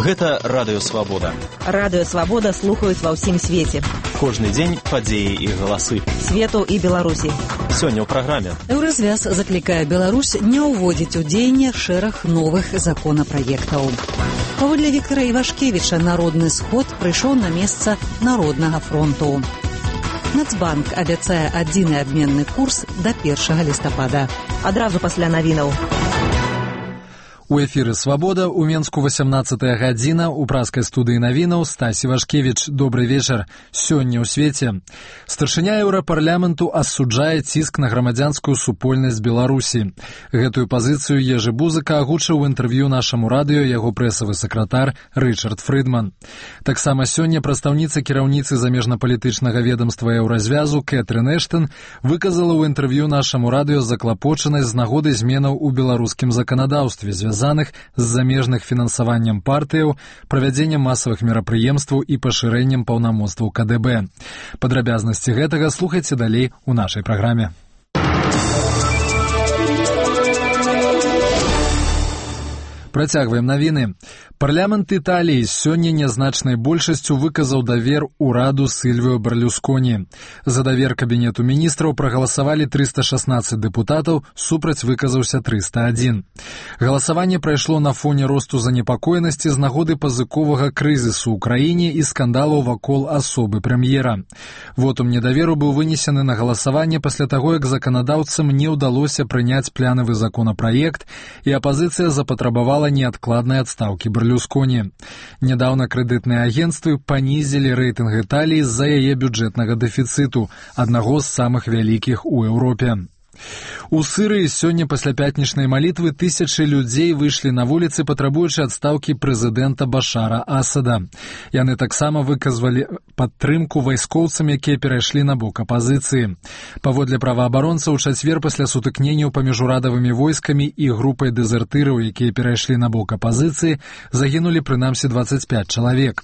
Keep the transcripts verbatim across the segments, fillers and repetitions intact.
Гэта Радыё Свабода. Радыё Свабода слухаюць ва ўсім свеце. Кожны дзень падзеі і галасы. Свету і Беларусі. Сёння ў праграме. Еўразвяз заклікае Беларусь не ўводзіць у дзеянне шэраг новых законапраектаў. Паводле Віктара Івашкевіча народны сход прыйшоў на месца Народнага фронту. Нацбанк абяцае адзіны абменны курс да першага лістапада. Адразу пасля навінаў. У эфіры «Свабода» у Менску васямнаццатая гадзіна, у праскай студыі навінаў Стась Івашкевіч. Добры вечар. Сёння ў свеце. Старшыня Еўрапарламенту асуджае ціск на грамадзянскую супольнасць Беларусі. Гэтую пазіцыю Ежы Бузыка агучыў у інтэрв'ю нашаму радыё яго прэсавы сакратар Рычард Фрыдман. Таксама сёння прадстаўніца кіраўніцы замежнапалітычнага ведамства Еўразвязу Кэтрын Эштон выказала ў інтэрв'ю нашаму радыё заклапочанасць з нагоды зменаў у беларускім заканадаўстве, звязаных з замежных фінансаваннем партыяў, правядзеннем масавых мерапрыемстваў і пашырэннем паўнамоцтваў ка дэ бэ. Падрабязнасці гэтага слухайце далей у нашай праграме. Працягваем навіны. Парламент Італіі сёння нязначнай большасцю выказаў давер ураду Сільвіо Берлюсконі. За давер кабінету міністраў прагаласавалі трыста шаснаццаць дэпутатаў, супраць выказаўся трыста адзін. Галасаванне прайшло на фоне росту занепакоенасці з нагоды пазыковага крызісу ў краіне і скандалаў вакол асобы прэм'ера. Вотум недаверу быў вынесены на галасаванне пасля таго, як заканадаўцам не ўдалося прыняць планавы законапраект, і апазіцыя запатрабавала неадкладнай адстаўкі Берлюсконі. Нядаўна крэдытныя агенцтвы панізілі рэйтынг Італіі з-за яе бюджэтнага дэфіцыту, аднаго з самых вялікіх у Еўропе. У Сірыі сёння пасля пятнічнай малітвы тысячы людзей выйшлі на вуліцы, патрабуючы адстаўкі прэзідэнта Башара Асада. Яны таксама выказвалі падтрымку вайскоўцам, якія перайшлі на бок апазіцыі. Паводле праваабаронцаў, у чацвер пасля сутыкненняў паміж урадавымі войскамі і групай дэзертыраў, якія перайшлі на бок апазіцыі, загінулі прынамсі дваццаць пяць чалавек.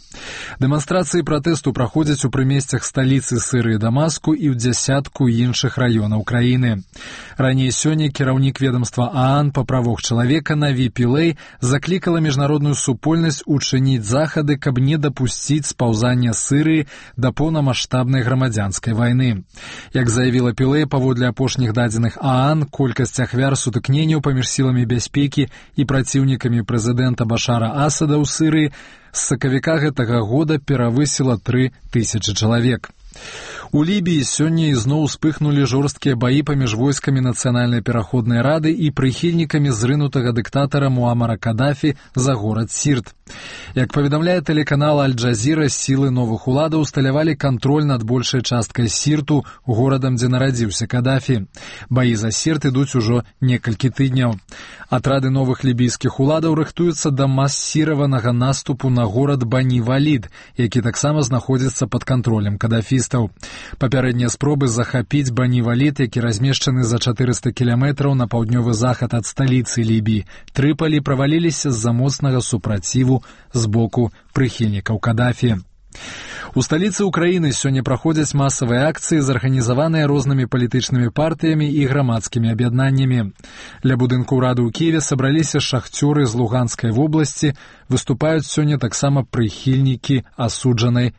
Дэманстрацыі пратэсту праходзяць у прымесцях сталіцы Сірыі Дамаску і ў дзясятку іншых раёнаў краіны. Раней сёння кіраўнік ведамства ААН па правах чалавека Наві Пілэй заклікала міжнародную супольнасць учыніць захады, каб не дапусціць спаўзання Сірыі да поўнамаштабнай грамадзянскай вайны. Як заявіла Пілэй, паводле апошніх дадзеных ААН, колькасць ахвяр сутыкненняў паміж сіламі бяспекі і праціўнікамі прэзідэнта Башара Асада ў Сірыі з сакавіка гэтага года перавысіла тры тысячы чалавек. У Лібіі сёння ізноў успыхнулі жорсткія баі паміж войскамі Нацыянальнай пераходнай рады і прыхільнікамі зрынутага дыктатара Муамара Кадафі за горад Сірт. Як паведамляе тэлеканал Аль-Джазіра, сілы новых уладаў усталявалі кантроль над большай часткай Сірту, горадам, дзе нарадзіўся Кадафі. Баі за Сірт ідуць ужо некалькі тыдняў. Атрады новых лібійскіх уладаў рыхтуюцца да масіраванага наступу на горад Бані-Валід, які таксама знаходзіцца пад кантролем кадафістаў. Папярэднія спробы захапіць Бані-Валід, які размешчаны за чатырыста кіламетраў на паўднёвы захад ад сталіцы Лібіі, Трыпалі, праваліліся з-за моцнага супраціву з боку прыхільнікаў Кадафі. У сталіцы ўкраіны сёння праходзяць масавыя акцыі, зарганізаваныя рознымі палітычнымі партыямі і грамадскімі аб'яднаннямі. Ля будынку ўрады ў Кіеве сабраліся шахцёры з Луганскай вобласці, выступаюць сёння таксама прыхільнікі асуджанай